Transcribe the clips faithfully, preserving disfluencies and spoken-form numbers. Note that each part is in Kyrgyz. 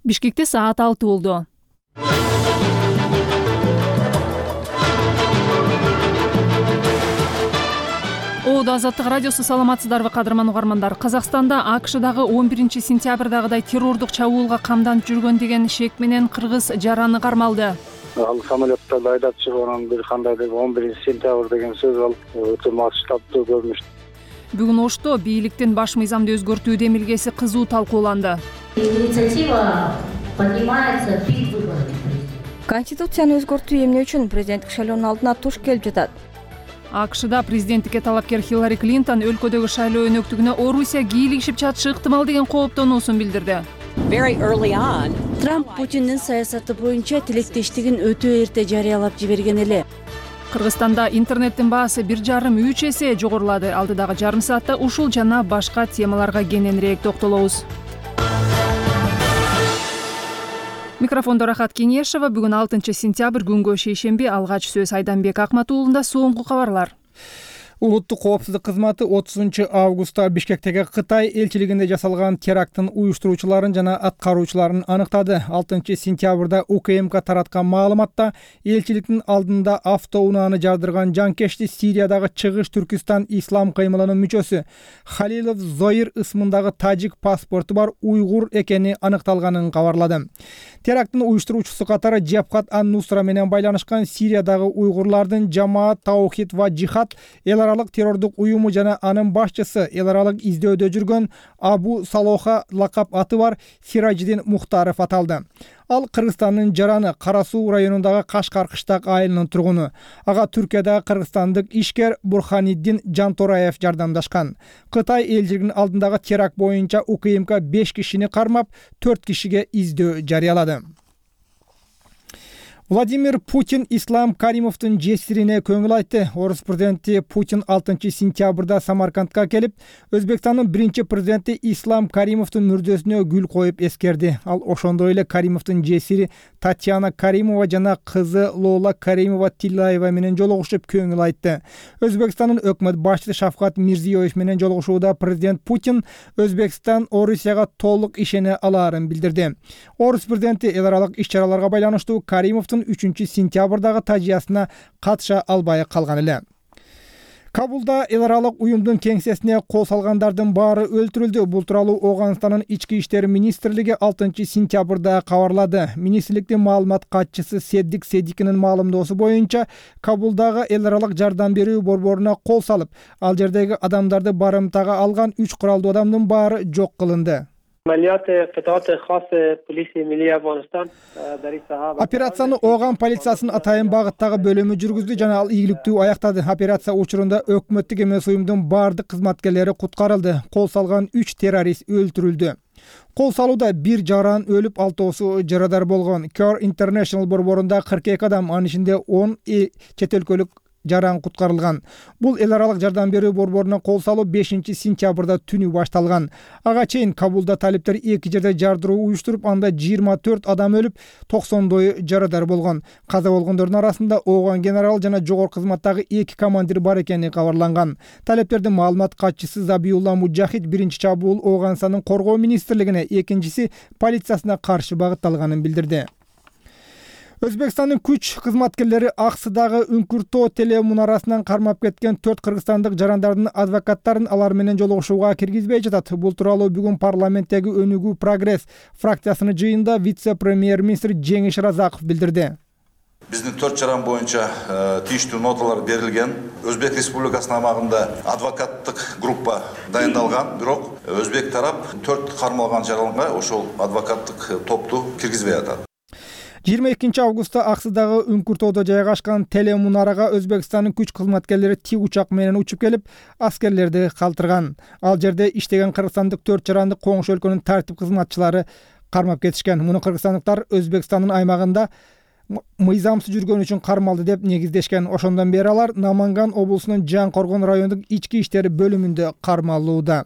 Бишкекте саат алты болду. Оодо Азаттык радиосу, саламатсыздарбы кадырман угармандар. Казакстанда АКШдагы он биринчи сентябрдагыдай террордук чабуулга камданып жүргөн деген шек менен кыргыз жараны кармалды. Ал самолеттарды айдап чыгып бир кандай деп он биринчи сентябрь деген сөз ал өтө масштабдуу көрүнүш. Бүгүн Ошто бийликтин баш мыйзамды өзгөртүү демилгеси кызуу талкууланды. Инициатива поднимается перед выборами. Конституцияны өзгөртүү эмне үчүн президенттик шайлоонун алдына туш келип жатат? АКШда президенттикке талапкер Хиллари Клинтон өлкөдөгү шайлоо өнөктүгүнө Орусия кийлигишип жатышы ыктымал деген кооптонуусун билдирди. Трамп Путиндин саясаты боюнча тилектештигин өтө эрте жарыялап жиберген эле. Кыргызстанда интернеттин баасы бир жарым үч эсе жогорулады. Алдыдагы жарым саатта ушул жана башка темаларга кененирээк токтолобуз. Микрофондо Рахат Кеңешева. Бүгүн алтынчы сентябрь, күнгө шейшемби. Алгач сөз Айданбек Акматуулунда. Соңку кабарлар. Улуттук коопсуздук кызматы отузунчу августта Бишкектеги Кытай элчилигинде жасалган теракттын уюштуруучуларын жана аткаруучуларын аныктады. алтынчы сентябрда УКМК тараткан маалыматта элчиликтин алдында автоунааны жардырган жанкечти Сириядагы Чыгыш Түркистан ислам кыймылынын мүчөсү Халилов Зоир ысмындагы тажик паспорту бар уйгур экени аныкталганын кабарлады. Теракттын уюштуруучусу катары Джабхат ан-Нусра менен байланышкан Сириядагы уйгурлардын Жамаат Таухид ва Жихад эл аралык террордук уюму жана анын башчысы эл аралык издөөдө жүргөн Абу Салоха лакап аты бар Сираджидин Мухтаров аталды. Ал Кыргызстандын Жараны Кара Суу районундагы Кашкар кыштак айылынын тургуну. Ага Түркиядагы кыргызстандык ишкер Бурханиддин Жантораев жардамдашкан. Кытай элчилигинин алдындагы теракт боюнча УКМК беш кишини кармап, төрт кишиге издөө жарыялады. Владимир Путин Ислам Каримовдун жесирине көңүл айтты. Орус президенти Путин алтынчы сентябрда Самаркандка келип, Өзбекстандын биринчи президенти Ислам Каримовдун мүрдөсүнө гүл коюп эскерди. Ал ошондой эле Каримовдун жесири Татьяна Каримова жана кызы Лола Каримова Тилаева менен жолугушуп көңүл айтты. Өзбекстандын өкмөт башчысы Шавкат Мирзиёев менен жолугушууда президент Путин Өзбекстан Орусияга толук ишене алаарын билдирди. Орус президенти эл аралык иш-чараларга байланыштуу Каримовдун үчүнчү сентябрдагы тажыясына катыша албай калган эле. Кабулда эл аралык уюмдун кеңсесине кол салгандардын баары өлтүрүлдү. Бул тууралуу Оганстанын ички иштер министрлиги алтынчы сентябрда кабарлады. Министрликтин маалымат катчысы Седдик Седикинин маалымдоосу боюнча, Кабулдагы эл аралык жардам берүү борборуна кол салып, ал жердеги адамдарды барымтага алган үч куралдуу адамдын баары жок кылынды. Операцияны Оган полициясынын атайын багыттагы бөлүмү жүргүздү жана ал ийгиликтүү аяктады. Операция учурунда өкмөттүк эмес уюмдун бардык кызматкерлери куткарылды. Кол салган үч террорист өлтүрүлдү. Кол салууда бир жаран өлүп, алтоосу жарадар болгон. Care International борборунда кырк эки адам, анын ичинде он чет өлкөлүк жаран куткарылган. Бул эл аралык жардам берүү борборуна кол салуу бешинчи сентябрда түнү башталган. Ага чейин Кабулда талиптер эки жерде жардыруу уюштуруп, анда жыйырма төрт адам өлүп, токсондой жарадар болгон. Каза болгондордун арасында Оган генерал жана жогорку кызматтагы эки командир бар экени кабарланган. Талептердин маалымат катчысы Забиулла Муджахид биринчи чабуул Оганстандын коргоо министрлигине, экинчиси полициясына каршы багытталганын билдирди. Өзбекстандын күч кызматкерлери Аксыдагы Үңкүртөө телемунарасынан кармап кеткен төрт кыргызстандык жарандардын адвокаттарын алар менен жолугушууга киргизбей жатат. Бул тууралуу бүгүн парламенттеги Өнүгүү Прогресс фракциясынын жыйынында вице-премьер-министр Жеңиш Разаков билдирди. Биздин төрт жаран боюнча тийиштүү ноталар берилген. Өзбек Республикасынын аймагында адвокаттык группа дайындалган, бирок өзбек тарап төрт кармалган жаранга ошол адвокаттык топту киргизбей атат. жыйырма экинчи августта Аксыдагы Үңкүртөөдө жайгашкан телемунарага Өзбекстандын күч кызматкерлери тик учак менен учуп келип, аскерлерди калтырган. Ал жерде иштеген кыргызстандык төрт жаранды коңшу өлкөнүн тартип кызматчылары кармап кетишкен. Муну кыргызстандыктар Өзбекстандын аймагында мыйзамсыз жүргөн үчүн кармалды деп негиздешкен. Ошондон бери алар Наманган облусунун Жан Коргон райондук ички иштер бөлүмүндө кармалууда.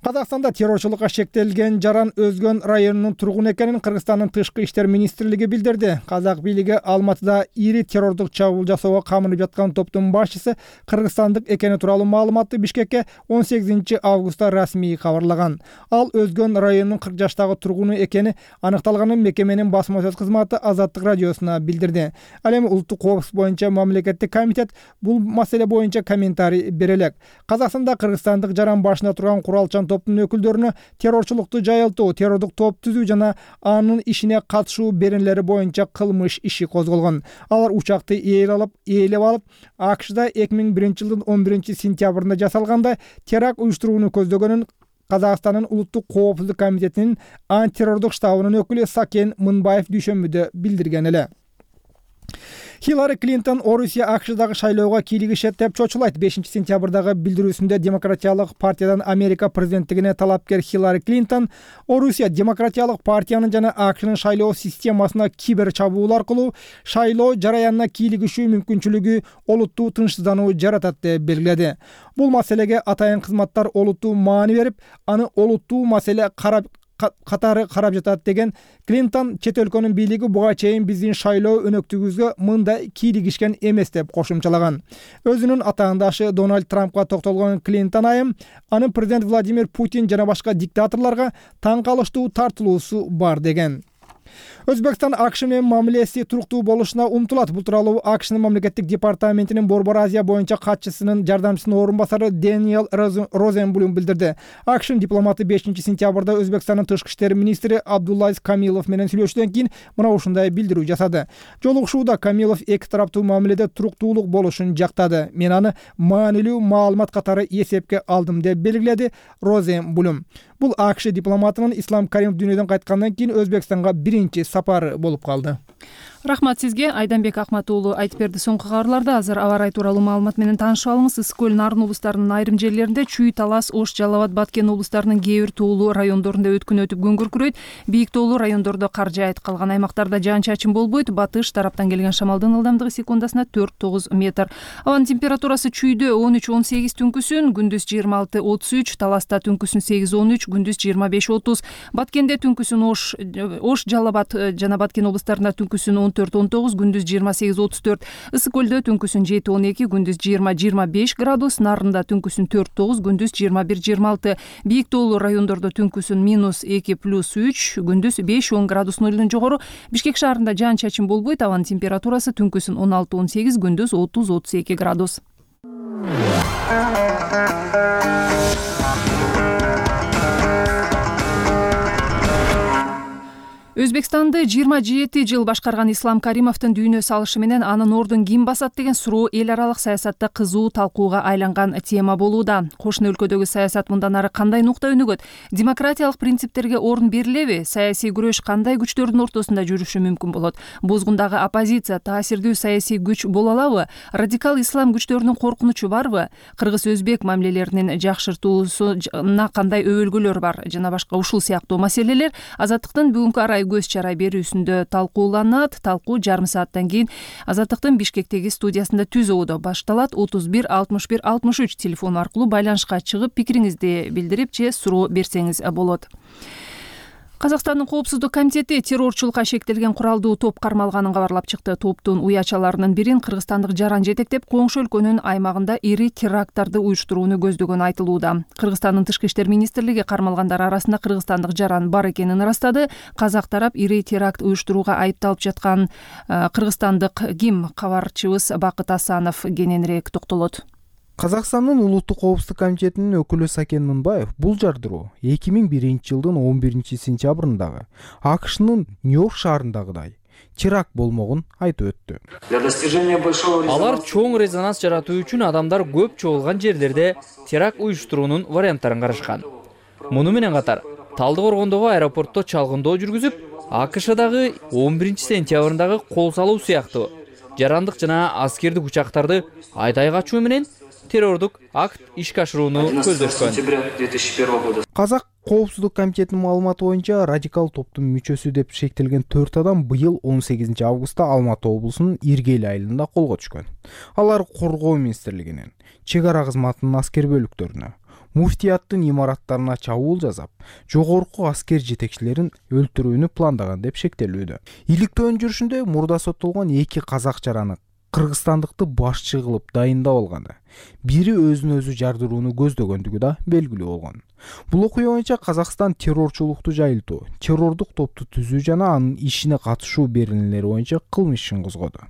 Казакстанда террорчулукка шектелген Жаран Өзгөн районунун тургуну экенин Кыргызстандын тышкы иштер министрлиги билдирди. Казак бийлиги Алматыда ири террордук чабуул жасоого камынып жаткан топтун башчысы кыргызстандык экени тууралуу маалыматты Бишкекке он сегизинчи августта расмий кабарлаган. Ал Өзгөн районунун кырк жаштагы тургуну экени аныкталганын мекеменин басма сөз кызматы Азаттык радиосуна билдирди. Ал эми улуттук коопсуздук боюнча мамлекеттик комитет бул маселе боюнча комментарий бере элек. Казакстанда кыргызстандык Жаран башында турган куралчан топтун өкүлдөрүнө террорчулукту жайылтуу, террордук топ түзүү жана анын ишине катышуу беренелери боюнча кылмыш иши козголгон. Алар учакты ээлеп алып, ээлеп алып, АКШда эки миң биринчи жылдын он биринчи сентябрында жасалганда теракт уюштурууну көздөгөнүн Казакстандын улуттук коопсуздук комитетинин антитеррордук штабынын өкүлү Сакен Мынбаев дүйшөмбүдө билдирген эле. Хиллари Клинтон Орусия АКШдагы шайлоого кийлигишет деп чочулайт. бешинчи сентябрдагы билдирүүсүндө Демократиялык партиядан Америка президенттигине талапкер Хиллари Клинтон Орусия Демократиялык партиянын жана АКШнын шайлоо системасына кибер чабуул аркылуу шайлоо жараянына кийлигишүү мүмкүнчүлүгү олуттуу тынчсыздануу жаратат деп белгиледи. Бул маселеге атайын кызматтар олуттуу маани берип, аны олуттуу маселе карап катары карап жатат деген Клинтон чет өлкөнүн бийлиги буга чейин биздин шайлоо өнөктүгүбүзгө мындай кийлигишкен эмес деп кошумчалаган. Өзүнүн атаандашы Дональд Трампка токтолгон Клинтон айым анын президент Владимир Путин жана башка диктаторлорго таң калыштуу тартылуусу бар деген. Өзбекстан АКШ менен мамилеси туруктуу болушуна умтулат. Бул тууралуу АКШнын мамлекеттик департаментинин Борбор Азия боюнча катчысынын жардамчысынын орун басары Дэниел Розенблюм билдирди. АКШнын дипломаты бешинчи сентябрда Өзбекстандын тышкы иштер министри Абдуллазиз Камилов менен сүйлөшүүдөн кийин мына ушундай билдирүү жасады. Жолугушууда Камилов эки тараптуу мамиледе туруктуулук болушун жактады. Мен аны маанилүү маалымат катары эсепке алдым деп белгиледи Розенблюм. Бул АКШ дипломатынын Ислам Каримов дүйнөдөн кайткандан кийин Өзбекстанга биринчи сапары болуп калды. Рахмат сизге. Айданбек Акмат уулу айтып берди. Соңку кабарларда азыр аба ырайы тууралуу маалымат менен таанышып алыңыз. Ысык көл, Нарын облустарынын айрым жерлеринде, Чүй, Талас, Ош, Жалал Абад, Баткен облустарынын кээ бир тоолуу райондорунда өткүн өтүп күн күркүрөйт. Бийик тоолуу райондордо кар жаайт. Калган аймактарда жаан-чачын болбойт. Батыш тараптан келген шамалдын ылдамдыгы секундасына төрт тогуз метр. Абанын температурасы Чүйдө он үч он сегиз түнкүсүн, күндүз жыйырма алты отуз үч, Таласта түнкүсүн сегиз он үч, күндүз жыйырма беш отуз, Баткенде түнкүсүн Ош, Ош, Жалал Абад жана Баткен облустарында түнкүсүн он төрт он тогуз, күндүз жыйырма сегиз отуз төрт, Ысык көлдө түнкүсүн жети он эки, күндүз жыйырма жыйырма беш градус, Нарында түнкүсүн төрт тогуз, күндүз жыйырма бир жыйырма алты, бийик тоолуу райондордо түнкүсүн минус эки плюс үч, күндүз беш он градус нөлдөн жогору. Бишкек шаарында жаан-чачын болбойт. Абанын температурасы түнкүсүн он алты он сегиз, күндүз отуз отуз эки градус. Өзбекстанды жыйырма жети жыл башкарган Ислам Каримовдун дүйнө салышы менен анын ордун ким басат деген суроо эл аралык саясатта кызуу талкууга айланган тема болууда. Кошуна өлкөдөгү саясат мындан ары кандай нукта өнүгөт? Демократиялык принциптерге орун берилеби? Саясий күрөш кандай күчтөрдүн ортосунда жүрүшү мүмкүн болот? Бозгундагы оппозиция таасирдүү саясий күч боло алабы? Радикал ислам күчтөрүнүн коркунучу барбы? Кыргыз-өзбек мамилелеринин жакшыртуусуна кандай өбөлгөлөр бар? Жана башка ушул сыяктуу маселелер Азаттыктын бүгүнкү арай көз чара берүүсүндө талкууланат. Талкуу жарым сааттан кийин Азаттыктын Бишкектеги студиясында түз оодо башталат. отуз бир алтымыш бир алтымыш үч телефон аркылуу байланышка чыгып пикириңизди билдирип же суроо берсеңиз болот. Казакстандын коопсуздук комитети террорчулукка шектелген куралдуу топ кармалганын кабарлап чыкты. Топтун уячаларынын бирин кыргызстандык Жаран жетектеп, коңшу өлкөнүн аймагында ири теракттарды уюштурууну көздөгөнү айтылууда. Кыргызстандын тышкы иштер министрлиги кармалгандар арасында кыргызстандык Жаран бар экенин ырастады. Казак тарап ири теракт уюштурууга айыпталып жаткан кыргызстандык ким? Кабарчыбыз Бакыт Асанов кененирээк токтолот. Казакстандын улуттук коопсуздук комитетинин өкүлү Сакен Мынбаев бул жардыруу эки миң биринчи жылдын он биринчи сентябрындагы АКШнын Нью-Йорк шаарындагыдай теракт болмогун айтып өттү. Алар чоң резонанс жаратуу үчүн адамдар көп чогулган жерлерде теракт уюштуруунун варианттарын карашкан. Муну менен катар Талдык Оргондогу аэропортто чалгындоо жүргүзүп, АКШдагы он биринчи сентябрындагы кол салуу сыяктуу жарандык жана аскердик учактарды айдай качуу менен террордук акт ишке ашырууну көздөшкөн. Казак коопсуздук комитетинин маалыматы боюнча радикал топтун мүчөсү деп шектелген төрт адам быйыл он сегизинчи августта Алматы облусунун Иргел айылында колго түшкөн. Алар коргоо министрлигинин, чек ара кызматынын аскер бөлүктөрүнө, муфтияттын имараттарына чабуул жасап, жогорку аскер жетекчилерин өлтүрүүнү пландаган деп шектелүүдө. Иликтөөнүн жүрүшүндө мурда соттолгон эки казак жараны кыргызстандыкты башчы кылып дайындап алганы, бири өзүн өзү жардырууну көздөгөндүгү да белгилүү болгон. Бул окуя боюнча Казакстан террорчулукту жайылтуу, террордук топту түзүү жана анын ишине катышуу берилмелери боюнча кылмыш ишин козгоду.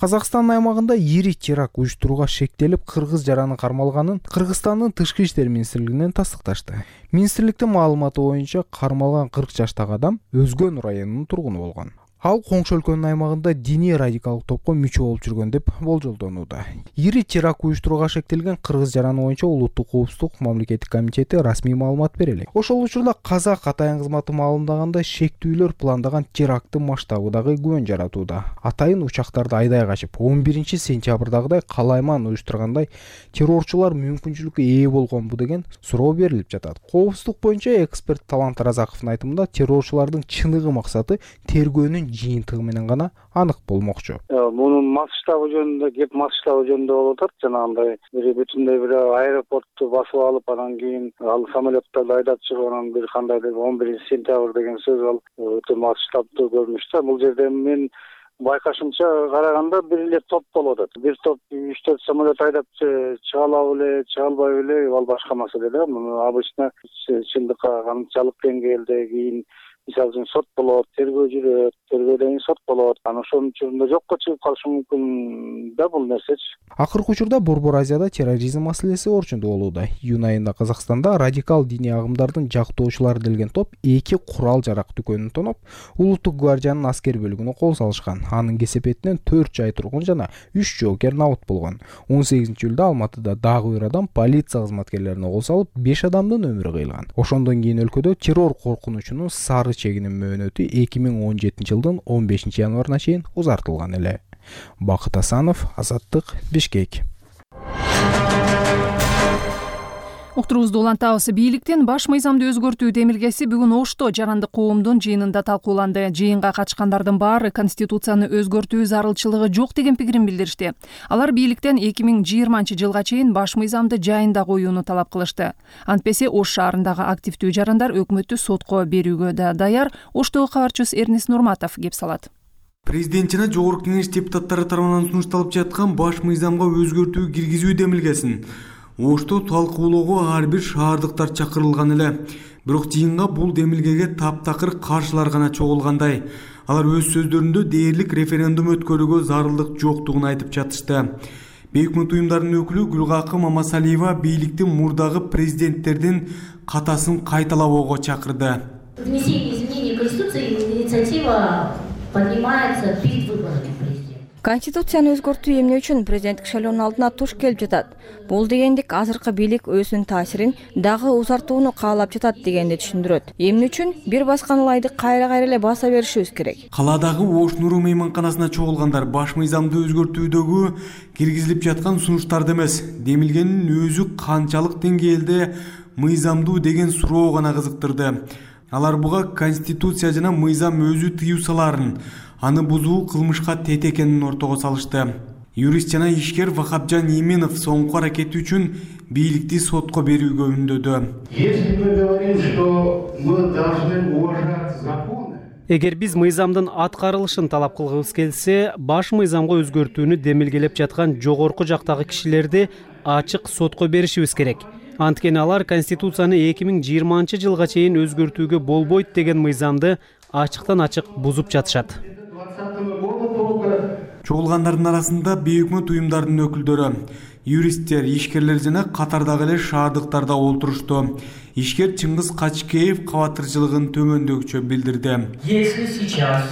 Казакстан аймагында ири теракт уюштурууга шектелип, кыргыз жараны кармалганын Кыргызстандын тышкы иштер министрлигинен тастыкташты. Министрликтин маалыматы боюнча кармалган кырк жаштагы адам Өзгөн районунун тургуну болгон. Ал Коңшу өлкөнүн аймагында диний радикалдык топко мүчө болуп жүргөн деп болжолдонууда. Ири теракт уюштурууга шектелген кыргыз жараны боюнча Улуттук коопсуздук мамлекеттик комитети расмий маалымат бере элек. Ошол учурда казак атайын кызматы маалымдагандай шектүүлөр пландаган теракттын масштабы дагы күбөн жаратууда. Атайын учактарды айдай качып, он биринчи сентябрдагыдай калайман уюштургандай террорчулар мүмкүнчүлүккө ээ болгонбу деген суроо берилип жатат. Коопсуздук боюнча эксперт Талант Разаковдун айтымында террорчулардын чыныгы максаты тергөөнүн жыйынтыгы менен гана анык болмокчу. Мунун масштабы жөнүндө кеп масштабы жөнүндө болуп атат. Жанагындай бир бүтүндөй бир аэропортту басып алып, анан кийин ал самолеттарды айдап чыгып, анан бир кандайдыр он биринчи сентябрь деген сөз ал өтө масштабдуу көрүнүш да. Бул жерде мен байкашымча караганда бир эле топ болуп атат. Бир топ үч төрт самолет айдап чыга алабы эле, чыга албайбы эле, ал башка маселе да. Муну обычно чындыкка канчалык деңгээлде кийин мисалы үчүн сот болот, тергөө жүрөт, тергөөдөн кийин сот болот. Анан ошонун учурунда жокко чыгып калышы мүмкүн да бул нерсечи. Акыркы учурда Борбор Азияда терроризм маселеси орчундуу болууда. Июнь айында Казакстанда радикал диний агымдардын жактоочулары делген топ эки курал-жарак дүкөнүн тоноп, Улуттук гвардиянын аскер бөлүгүнө кол салышкан. Анын кесепетинен төрт жай тургун жана үч жоокер набыт болгон. он сегизинчи июлда Алматыда дагы бир адам полиция кызматкерлерине кол салып, беш адамдын өмүрү кыйылган. Ошондон кийин өлкөдө террор коркунучунун сары чегинин мөөнөтү эки миң он жетинчи жылдын он бешинчи январына чейин узартылган эле. Бакыт Асанов, Азаттык, Бишкек. Уктуруубузду улантабыз. Бийликтин баш мыйзамды өзгөртүү демилгеси бүгүн Ошто жарандык коомдун жыйынында талкууланды. Жыйынга катышкандардын баары Конституцияны өзгөртүү зарылчылыгы жок деген пикирин билдиришти. Алар бийликтен эки миң жыйырманчы жылга чейин баш мыйзамды жайында коюуну талап кылышты. Антпесе Ош шаарындагы активдүү жарандар өкмөттү сотко берүүгө да даяр. Оштогу кабарчыбыз Эрнис Нурматов кеп салат. Президент жана Жогорку Кеңеш депутаттары тарабынан сунушталып жаткан баш мыйзамга өзгөртүү киргизүү демилгесин Ошто талкуулоого ар бир шаардыктар чакырылган эле. Бирок жыйынга бул демилгеге таптакыр каршылар гана чогулгандай. Алар өз сөздөрүндө дээрлик референдум өткөрүүгө зарылдык жоктугун айтып жатышты. Бейөкмөт уюмдарынын өкүлү Гүлгакы Мамасалиева бийликтин мурдагы президенттердин катасын кайталабоого чакырды. Внесение изменений в Конституцию инициатива поднимается перед выборами. Конституцияны өзгөртүү эмне үчүн президенттик шайлоонун алдына туш келип жатат? Бул дегендик азыркы бийлик өзүнүн таасирин дагы узартууну каалап жатат дегенди түшүндүрөт. Эмне үчүн бир баскан ылайды кайра-кайра эле баса беришибиз керек? Каладагы Ош Нуру мейманканасына чогулгандар баш мыйзамды өзгөртүүдөгү киргизилип жаткан сунуштарды эмес, демилгенин өзү канчалык деңгээлде мыйзамдуу деген суроо гана кызыктырды. Алар буга Конституция жана мыйзам өзү тыюу саларын, аны бузуу кылмышка тет экенин ортого салышты. Юрист жана ишкер Вахапжан Именов соңку аракети үчүн бийликти сотко берүүгө үндөдү. Если мы говорим, что мы должны уважать законы, эгер биз мыйзамдын аткарылышын талап кылгыбыз келсе, баш мыйзамга өзгөртүүнү демилгелеп жаткан жогорку жактагы кишилерди ачык сотко беришибиз керек. Анткени алар Конституцияны эки миң жыйырманчы жылга чейин өзгөртүүгө болбойт деген мыйзамды ачыктан ачык бузуп жатышат. Чогулгандардын арасында бейөкмөт уюмдардын өкүлдөрү, юристтер, ишкерлер жана катардагы эле шаардыктарда олтурушту. Ишкер Чыңгыз Качкеев кабатырчылыгын төмөндөгүчө билдирди. Если сейчас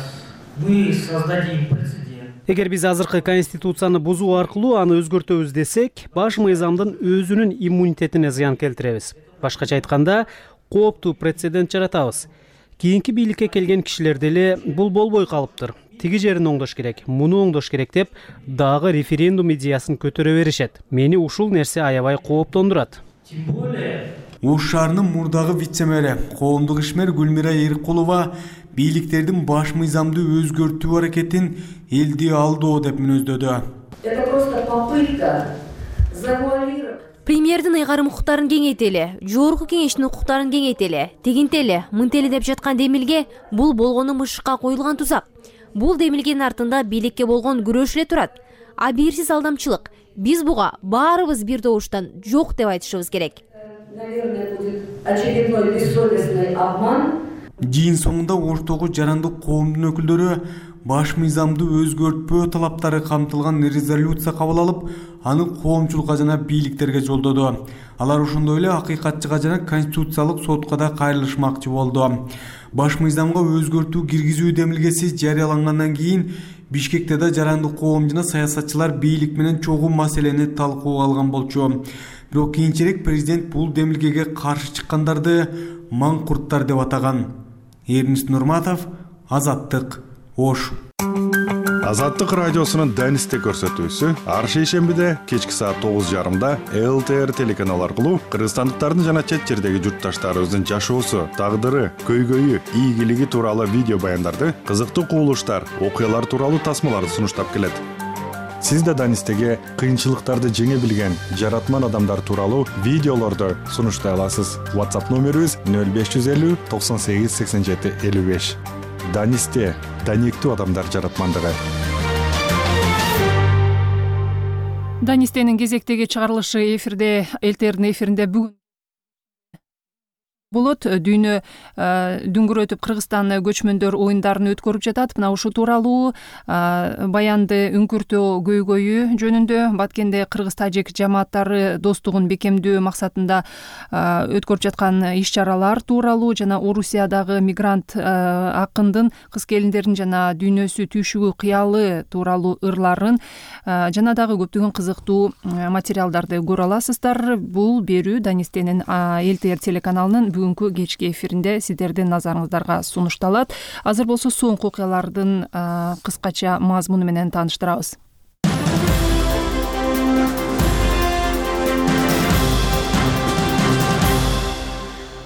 мы создадим прецедент, эгер биз азыркы Конституцияны бузуу аркылуу аны өзгөртөбүз десек, баш мыйзамдын өзүнүн иммунитетине зыян келтиребиз. Башкача айтканда, кооптуу прецедент жаратабыз. Кийинки бийликке келген кишилер деле бул болбой калыптыр. Тиги жерин оңдош керек, муну оңдош керек деп дагы референдум идеясын көтөрө беришет. Мени ушул нерсе аябай кооптондурат. Тем более Ош шаарынын мурдагы вице-мэри, коомдук ишмер Гүлмира Эркулова бийликтердин баш мыйзамды өзгөртүү аракетин элди алдоо деп мүнөздөдү. Это просто попытка завуалировать. Премьердин ыйгарым укуктарын кеңейтели, жогорку кеңештин укуктарын кеңейтели, тегинтели, мынтели деп жаткан демилге бул болгону мышыкка коюлган тузак. Бул демилгенин артында бийликке болгон күрөш эле турат. Абийирсиз алдамчылык. Биз буга баарыбыз бир добуштан жок деп айтышыбыз керек. Жыйын соңунда Оштогу жарандык коомдун өкүлдөрү баш мыйзамды өзгөртпөө талаптары камтылган резолюция кабыл алып, аны коомчулукка жана бийликтерге жолдоду. Алар ошондой эле акыйкатчыга жана конституциялык сотко да кайрылышмакчы болду. Баш мыйзамга өзгөртүү киргизүү демилгеси жарыялангандан кийин Бишкекте да жарандык коом жана саясатчылар бийлик менен чогуу маселени талкууга алган болчу. Бирок кийинчерээк президент бул демилгеге каршы чыккандарды маңкурттар деп атаган. Эрнис Нурматов, Азаттык, Ош. Азаттык радиосунун Данисте көрсөтүүсү ар шейшембиде кечки саат тогуз жарымда эл тэ эр телеканалы аркылуу кыргызстандыктардын жана чет жердеги журтташтарыбыздын жашоосу, тагдыры, көйгөйү, ийгилиги тууралуу видео баяндарды, кызыктуу кубулуштар, окуялар тууралуу тасмаларды сунуштап келет. Сиз да Данистеге кыйынчылыктарды жеңе билген жаратман адамдар тууралуу видеолорду сунуштай аласыз. WhatsApp номерибиз нөл беш жүз элүү токсон сегиз сексен жети элүү беш. Данисте, даниктүү адамдар жаратмандыгы. Данистенин кезектеги чыгарылышы эфирде, эл тэ эрдин эфиринде бүгүн болот. Дүйнө дүңгүрөтүп Кыргызстан көчмөндөр оюндарын өткөрүп жатат. Мына ушул тууралуу баянды үңкүртөө көйгөйү жөнүндө Баткенде кыргыз-тажик жамааттары достугун бекемдөө максатында өткөрүп жаткан иш-чаралар тууралуу жана Орусиядагы мигрант акындын, кыз келиндердин жана дүйнөсү түйшүгүү кыялы тууралуу ырларын жана дагы көптөгөн кызыктуу материалдарды көрө аласыздар. Бул берүү Данистенин эл тэ эр телеканалынын бүгүнкү кечки эфиринде сиздердин назарыңыздарга сунушталат. Азыр болсо соңку окуялардын кыскача мазмуну менен тааныштырабыз.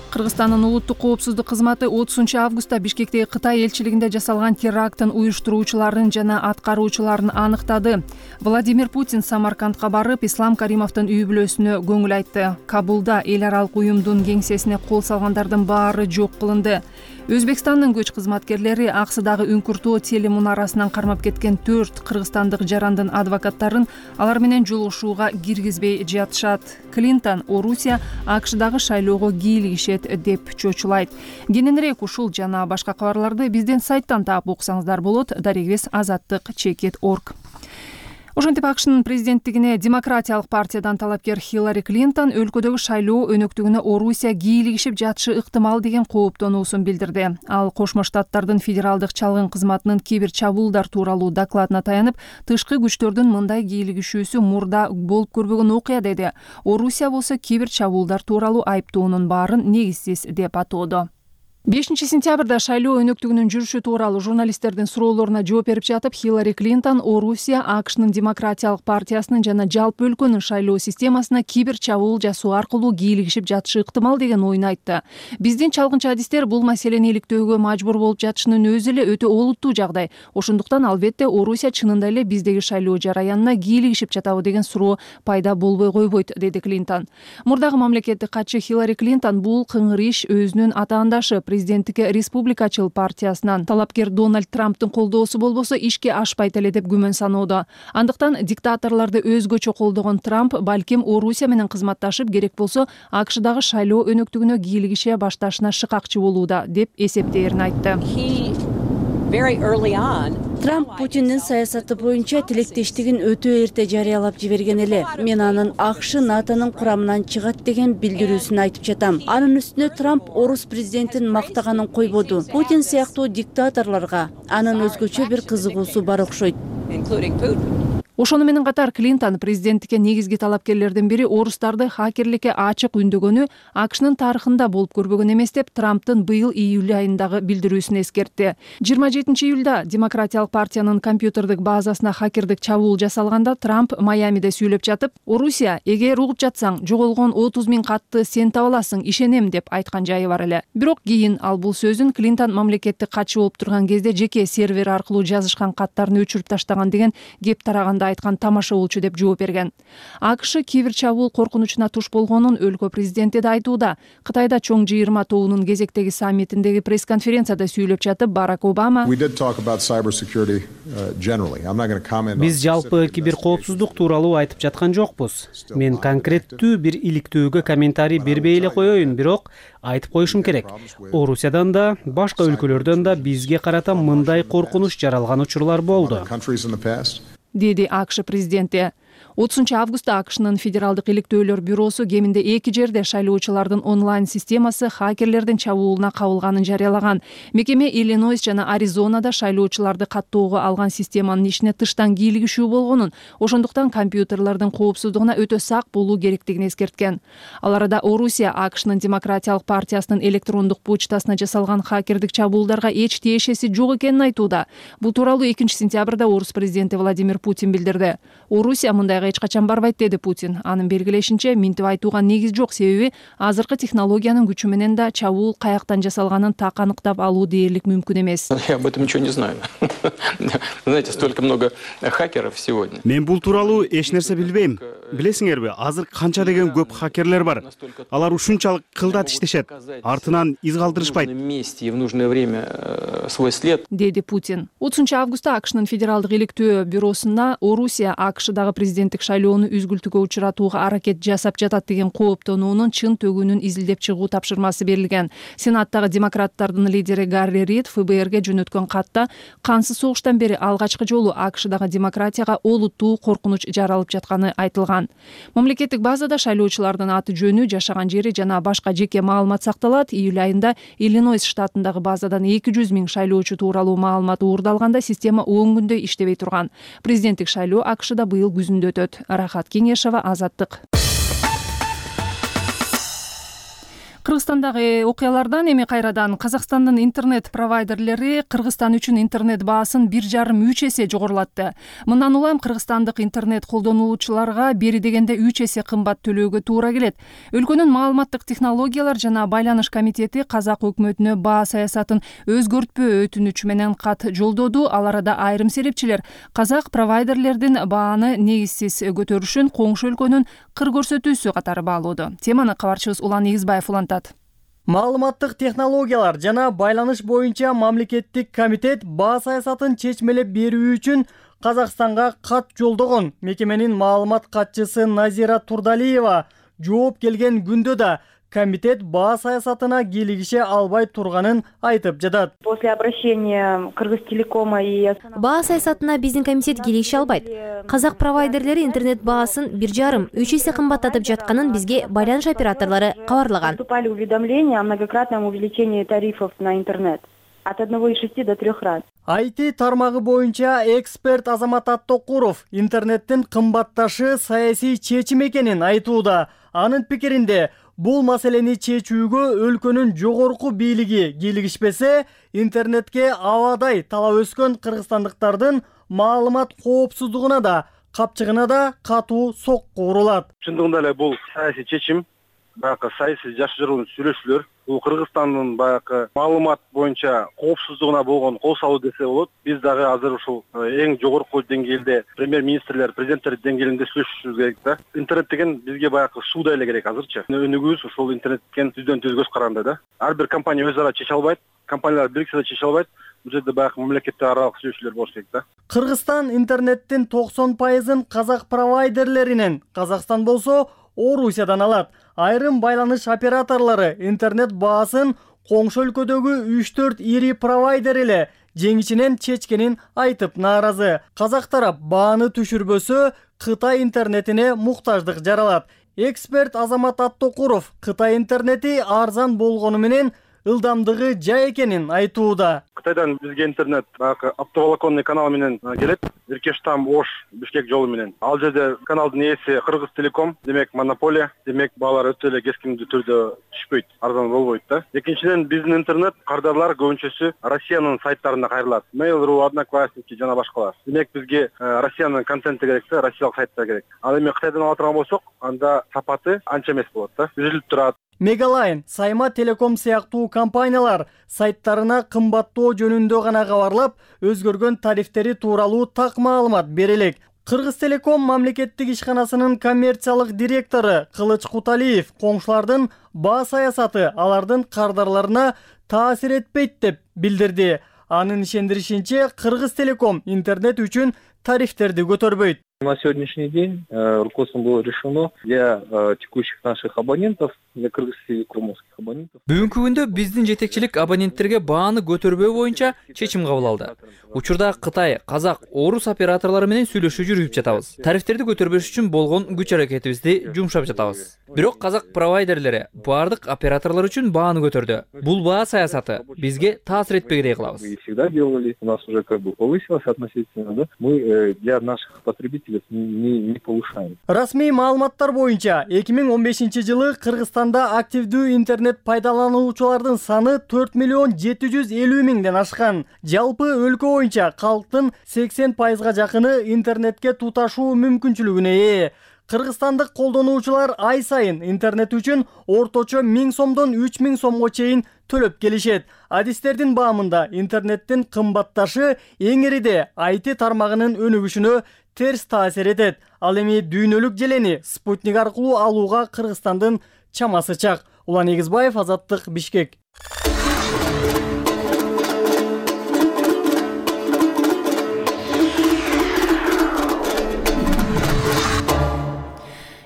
Кыргызстандын улуттук коопсуздук кызматы отузунчу августта Бишкектеги Кытай элчилигинде жасалган теракттын уюштуруучуларын жана аткаруучуларын аныктады. Владимир Путин Самаркандка барып, Ислам Каримовдун үй бүлөсүнө көңүл айтты. Кабулда эл аралык уюмдун кеңсесине кол салгандардын баары жок кылынды. Өзбекстандын көч кызматкерлери Аксыдагы үңкүртөө телемунарасынан кармап кеткен төрт кыргызстандык жарандын адвокаттарын алар менен жолугушууга киргизбей жатышат. Клинтон Орусия АКШдагы шайлоого кийлигишет деп чочулайт. Кененирээк ушул жана башка кабарларды биздин сайттан таап окусаңыздар болот. Дарегибиз азаттык чекит точка орг. Ошентип АКШнын президенттигине демократиялык партиядан талапкер Хиллари Клинтон өлкөдөгү шайлоо өнөктүгүнө Орусия кийлигишип жатышы ыктымал деген кооптонуусун билдирди. Ал Кошмо Штаттардын федералдык чалгын кызматынын кибер чабуулдар тууралуу докладына таянып, тышкы күчтөрдүн мындай кийлигишүүсү мурда болуп көрбөгөн окуя деди. Орусия болсо кибер чабуулдар тууралуу айыптоонун баарын негизсиз деп атоодо. бешинчи сентябрда шайлоо өнөктүгүнүн жүрүшү тууралуу журналисттердин суроолоруна жооп берип жатып, Хиллари Клинтон Орусия АКШнын демократиялык партиясынын жана жалпы өлкөнүн шайлоо системасына кибер чабуул жасоо аркылуу кийлигишип жатышы ыктымал деген оюн айтты. Биздин чалгынчы адистер бул маселени иликтөөгө мажбур болуп жатышынын өзү эле өтө олуттуу жагдай. Ошондуктан албетте Орусия чынында эле биздеги шайлоо жараянына кийлигишип жатабы деген суроо пайда болбой койбойт, деди Клинтон. Мурдагы мамлекеттик катчы Хиллари Клинтон бул кыңыр иш өзүнүн атаандашы президенттикке республикачыл партиясынан талапкер Дональд Трамптын колдоосу болбосо ишке ашпайт эле деп күмөн саноодо. Андыктан диктаторлорду өзгөчө колдогон Трамп балким Орусия менен кызматташып, керек болсо АКШдагы шайлоо өнөктүгүнө кийлигише башташына шыкакчы болууда деп эсептээрин айтты. Трамп Путиндин саясаты боюнча тилектештигин өтө эрте жарыялап жиберген эле. Мен анын АКШ НАТОнун курамынан чыгат деген билдирүүсүн айтып жатам. Анын үстүнө Трамп орус президентин мактаганын койбоду. Путин сыяктуу диктаторлорго анын өзгөчө бир кызыгуусу бар окшойт. Ошону менен катар Клинтон президенттикке негизги талапкерлердин бири орустарды хакерликке ачык үндөгөнү АКШнын тарыхында болуп көрбөгөн эмес деп Трамптын быйыл июль айындагы билдирүүсүн эскертти. жыйырма жетинчи июлда демократиялык партиянын компьютердик базасына хакердик чабуул жасалганда Трамп Майамиде сүйлөп жатып, Орусия, эгер угуп жатсаң, жоголгон отуз миң катты сен таба аласың, ишенем деп айткан жайы бар эле. Бирок кийин ал бул сөзүн Клинтон мамлекеттик катчы болуп турган кезде жеке сервер аркылуу жазышкан каттарын өчүрүп таштаган деген кеп тараганда айткан тамаша болчу деп жооп берген. АКШ кибер чабуул коркунучуна туш болгонун өлкө президенти да айтууда. Кытайда чоң жыйырма тобунун кезектеги саммитиндеги пресс-конференцияда сүйлөп жатып Барак Обама биз жалпы кибер коопсуздук тууралуу айтып жаткан жокпуз. Мен конкреттүү бир иликтөөгө комментарий бербей эле коеюн, бирок айтып коюшум керек. Орусиядан да, башка өлкөлөрдөн да бизге карата мындай коркунуч жаралган учурлар болду, деди АКШ президенти. отузунчу августта АКШнын Федералдык иликтөөлөр бюросу кеминде эки жерде шайлоочулардын онлайн системасы хакерлердин чабуулуна кабылганын жарыялаган. Мекеме Иллинойс жана Аризонада шайлоочуларды каттоого алган системанын ишине тыштан кийлигишүү болгонун, ошондуктан компьютерлердин коопсуздугуна өтө сак болуу керектигин эскерткен. Ал арада Орусия АКШнын Демократиялык партиясынын электрондук почтасына жасалган хакердик чабуулдарга эч тиешеси жок экенин айтууда. Бул тууралуу экинчи сентябрда Орус президенти Владимир Путин билдирди. Орусия мындайга эч качан барбайт, деди Путин. Анын белгилешинче, минтип айтууга негиз жок, себеби азыркы технологиянын күчү менен да чабуул каяктан жасалганын так аныктап алуу дээрлик мүмкүн эмес. Я об этом ничего не знаю. Знаете, столько много хакеров сегодня. Мен бул тууралуу эч нерсе билбейм. Билесиңерби, азыр канча деген көп хакерлер бар. Алар ушунчалык кылдат иштешет, артынан из калтырышпайт. И в нужное время свой след. Деди Путин. отузунчу августта АКШнын Федералдык иликтөө бюросуна Орусия АКШдагы президенттик шайлоону үзгүлтүккө учуратууга аракет жасап жатат деген кооптонуунун чын төгүнүн изилдеп чыгуу тапшырмасы берилген. Сенаттагы демократтардын лидери Гарри Рид ФБРге жөнөткөн катта кансыз согуштан бери алгачкы жолу АКШдагы демократияга олуттуу коркунуч жаралып жатканы айтылган. Мамлекеттик базада шайлоочулардын аты жөнү, жашаган жери жана башка жеке маалымат сакталат. Июль айында Иллинойс штатындагы базадан эки жүз миң шайлоочу тууралуу маалымат уурдалганда система он күндөй иштебей турган. Президенттик шайлоо АКШда быйыл күзүндө өтөт. Рахат Кеңешова, Азаттык. Кыргызстандагы окуялардан эми кайрадан Казакстандын интернет провайдерлери Кыргызстан үчүн интернет баасын бир жарым үч эсе жогорулатты. Мындан улам кыргызстандык интернет колдонуучуларга бери дегенде үч эсе кымбат төлөөгө туура келет. Өлкөнүн маалыматтык технологиялар жана байланыш комитети казак өкмөтүнө баа саясатын өзгөртпөө өтүнүчү менен кат жолдоду. Ал арада айрым серепчилер казак провайдерлердин бааны негизсиз көтөрүшүн коңшу өлкөнүн кыр көрсөтүүсү катары баалоодо. Теманы кабарчыбыз Улан Игизбаев улантат. Маалыматтык технологиялар жана байланыш боюнча мамлекеттик комитет баа саясатын чечмелеп берүү үчүн Казакстанга кат жолдогон. Мекеменин маалымат катчысы Назира Турдалиева жооп келген күндө да комитет баа саясатына кийлигише албай турганын айтып жатат. После обращения Кыргызтелекома и баа саясатына биздин комитет кийлигише албайт. Казак провайдерлери интернет баасын бир жарым үч эсе кымбаттатып жатканын бизге байланыш операторлору кабарлаган. Поступали уведомления о многократном увеличении тарифов на интернет от одного и шести до трех раз. ай ти тармагы боюнча эксперт Азамат Аттокуров интернеттин кымбатташы саясий чечим экенин айтууда. Анын пикиринде бул маселени чечүүгө өлкөнүн жогорку бийлиги кийлигишпесе, интернетке абадай талап өскөн кыргызстандыктардын маалымат коопсуздугуна да, капчыгына да катуу сокку урулат. Чындыгында эле бул саясий чечим, баягы саясий жашыруун сүйлөшүүлөр, бул Кыргызстандын баягы маалымат боюнча коопсуздугуна болгон кол салуу десе болот. Биз дагы азыр ушул эң жогорку деңгээлде премьер-министрлер, президенттер деңгээлинде сүйлөшүшүбүз керек да. Интернет деген бизге баягы суудай эле керек азырчы. Өнүгүүбүз ушул интернеттен түздөн түз көз каранды да. Ар бир компания өз ара чече албайт, компаниялар бириксе да чече албайт. Бул жерде баягы мамлекеттер аралык сүйлөшүүлөр болуш керек да. Кыргызстан интернеттин токсон пайызын казак провайдерлеринен, Казакстан болсо Орусиядан алат. Айрым байланыш операторлору интернет баасын коңшу өлкөдөгү үч төрт ири провайдер эле жеңишинен чечкенин айтып нааразы. Казак тарап бааны түшүрбөсө Кытай интернетине муктаждык жаралат. Эксперт Азамат Аттокуров Кытай интернети арзан болгону менен ылдамдыгы жай экенин айтууда. Кытайдан бизге интернет баягы оптоволоконный канал менен келет. Иркештам Ош Бишкек жолу менен. Ал жерде каналдын ээси Кыргызтелеком, демек монополия, демек баалар өтө эле кескиндүү түрдө түшпөйт, арзан болбойт да. Экинчиден биздин интернет кардарлар көбүнчөсү Россиянын сайттарында кайрылат. Mail.ru, Одноклассники жана башкалар. Демек бизге Россиянын контенти керек да, россиялык сайттар керек. Ал эми Кытайдан ала турган болсок, анда сапаты анча эмес болот да. Үзүлүп турат. Мегалайн, Сайма Телеком сыяктуу компаниялар сайттарына кымбаттоо жөнүндө гана кабарлап, өзгөргөн тарифтери тууралуу так маалымат бере элек. Кыргызтелеком мамлекеттик ишканасынын коммерциялык директору Кылыч Куталиев коңшулардын баа саясаты алардын кардарларына таасир этпейт деп билдирди. Анын ишендиришинче, Кыргызтелеком интернет үчүн тарифтерди көтөрбөйт. На сегодняшний день э, руководством было решено для э, текущих наших абонентов, для кыргызтелекомовских абонентов. Бүгүнкү күндө биздин жетекчилик абоненттерге бааны көтөрбөө боюнча чечим кабыл алды. Учурда Кытай, Казак, Орус операторлору менен сүйлөшүү жүргүзүп жатабыз. Тарифтерди көтөрбөш үчүн болгон күч аракетибизди жумшап жатабыз. Бирок Казак провайдерлери баардык операторлор үчүн бааны көтөрдү. Бул баа саясаты бизге таасир этпегидей кылабыз. Мы всегда делали, у нас уже как бы повысилось относительно, да? Мы э, для наших потребителей не, не повышаем. Расмий маалыматтар боюнча эки миң он бешинчи жылы Кыргызстанда активдүү интернет пайдалануучулардын саны төрт миллион жети жүз элүү миңден ашкан. Жалпы өлкө боюнча калктын сексен пайызга жакыны интернетке туташуу мүмкүнчүлүгүнө ээ. Кыргызстандык колдонуучулар ай сайын интернет үчүн орточо миң сомдон үч миң сомго чейин төлөп келишет. Адистердин баамында интернеттин кымбатташы эң ириде ай ти тармагынын өнүгүшүнө терс таасир этет. Ал эми дүйнөлүк желени спутник аркылуу алууга Кыргызстандын чамасы чак. Улан Эгизбаев, Азаттык, Бишкек.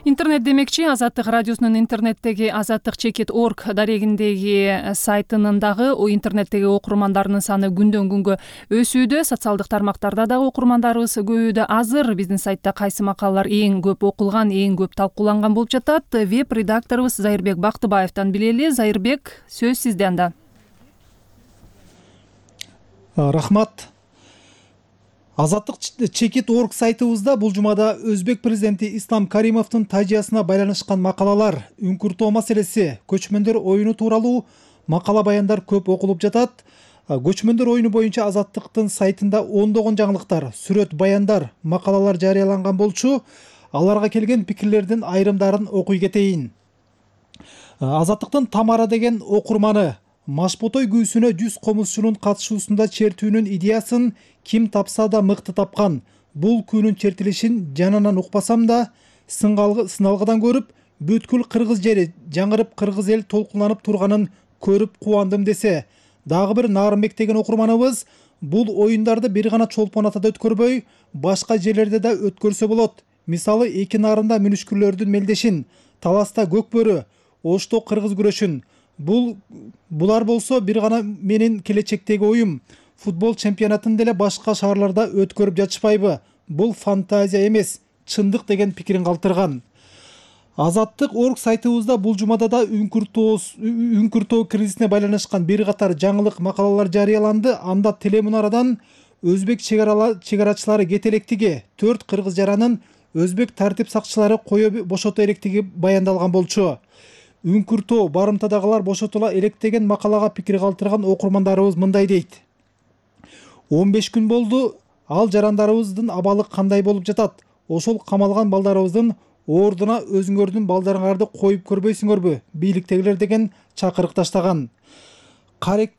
Интернет демекчи, Азаттык радиосунун интернеттеги азаттык чекит орг дарегиндеги сайтынын дагы интернеттеги окурмандарынын саны күндөн күнгө өсүүдө. Социалдык тармактарда дагы окурмандарыбыз көбөйүүдө. Азыр биздин сайтта кайсы макалалар эң көп окулган, эң көп талкууланган болуп жатат? Веб редакторубуз Зайырбек Бактыбаевтан билели. Зайырбек, сөз сизде анда. Рахмат. Азаттык чекит орг сайтыбызда бул жумада өзбек президенти Ислам Каримовдун тажыясына байланышкан макалалар, үңкүртөө маселеси, көчмөндөр оюну тууралуу макала баяндар көп окулуп жатат. Көчмөндөр оюну боюнча Азаттыктын сайтында ондогон жаңылыктар, сүрөт, баяндар, макалалар жарыяланган болчу. Аларга келген пикирлердин айрымдарын окуй кетейин. Азаттыктын Тамара деген окурманы Машботой күүсүнө жүз комузчунун катышуусунда чертүүнүн идеясын ким тапса да мыкты тапкан. Бул күнүн чертилишин жанынан укпасам да, сыналгыдан көрүп, бүткүл кыргыз жери жаңырып кыргыз эл толкунланып турганын көрүп кубандым десе. Дагы бир Нарымбек деген окурманыбыз бул оюндарды бир гана Чолпон атада өткөрбөй, башка жерлерде да өткөрсө болот. Мисалы эки нарында мүнүшкүрлөрдүн мелдешин, Таласта Көкбөрү, Ошто кыргыз күрөшүн. Бул булар болсо бир гана менин келечектеги оюм. Футбол чемпионатын деле башка шаарларда өткөрүп жатышпайбы? Бул фантазия эмес, чындык деген пикирин калтырган. Азаттык орг сайтыбызда бул жумада да үңкүртөө кризисине байланышкан бир катар жаңылык макалалар жарыяланды. Анда телемунарадан өзбек чегарачылары кете электиги, төрт кыргыз жаранын өзбек тартип сакчылары кое бошото электиги баяндалган болчу. Үңкүртөө барымтадагылар бошотула элек деген макалага пикир калтырган окурмандарыбыз мындай дейт. он беш күн болду, ал жарандарыбыздын абалы кандай болуп жатат? Ошол камалган балдарыбыздын ордуна өзүңөрдүн балдарыңарды коюп көрбөйсүңөрбү? Бийликтегилер деген чакырык таштаган. Каректи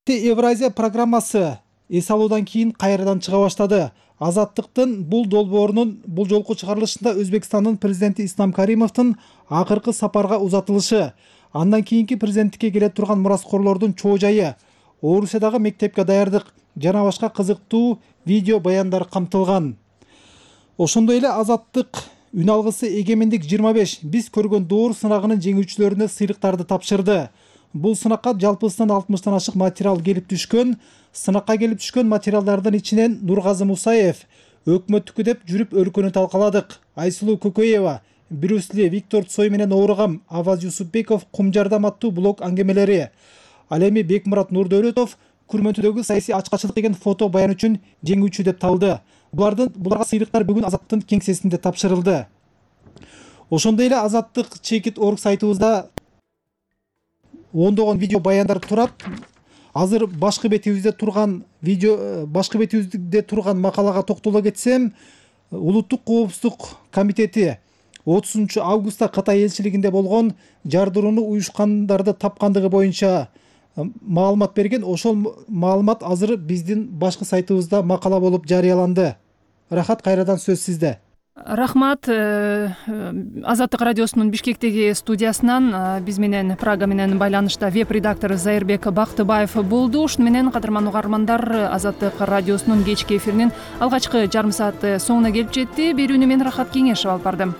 Евразия программасы эс алуудан кийин кайрадан чыга баштады. Азаттыктын бул долбоорунун бул жолку чыгарылышында Өзбекстандын президенти Ислам Каримовдун акыркы сапарга узатылышы, андан кийинки президенттикке келе турган мураскорлордун чоо жайы, Орусиядагы мектепке даярдык жана башка кызыктуу видео баяндар камтылган. Ошондой эле Азаттык үн алгысы Эгемендик жыйырма беш биз көргөн доор сынагынын жеңүүчүлөрүнө сыйлыктарды тапшырды. Бул сынакка жалпысынан алтымыштан ашык материал келип түшкөн. Сынакка келип түшкөн материалдардын ичинен Нургазы Мусаев, өкмөттүкү деп жүрүп өлкөнү талкаладык, Айсулуу Көкөева, Брюс Ли, Виктор Цой менен ооругам, Аваз Юсупбеков кум жардам аттуу блог аңгемелери. Ал эми Бекмурат Нурдөөлөтов Күрмөнтүдөгү саясий ачкачылык деген фото баян үчүн жеңүүчү деп табылды. Булардын буларга сыйлыктар бүгүн Азаттыктын кеңсесинде тапшырылды. Ошондой эле Азаттык чекит орг сайтыбызда ондогон видео баяндар турат. Азыр башкы бетибизде турган видео, башкы бетибизде турган макалага токтоло кетсем, Улуттук коопсуздук комитети отузунчу августта Кытай элчилигинде болгон жардырууну уюшкандарды тапкандыгы боюнча маалымат берген. Ошол маалымат азыр биздин башкы сайтыбызда макала болуп жарыяланды. Рахат, кайрадан сөз сизде. Рахмат. Азаттык радиосунун Бишкектеги студиясынан биз менен Прага менен байланышта веб редактор Зайырбек Бактыбаев болду. Ушуну менен кадырман угармандар, Азаттык радиосунун кечки эфиринин алгачкы жарым сааты соңуна келип жетти. Берүүнү мен Рахат Кеңешев алып бардым.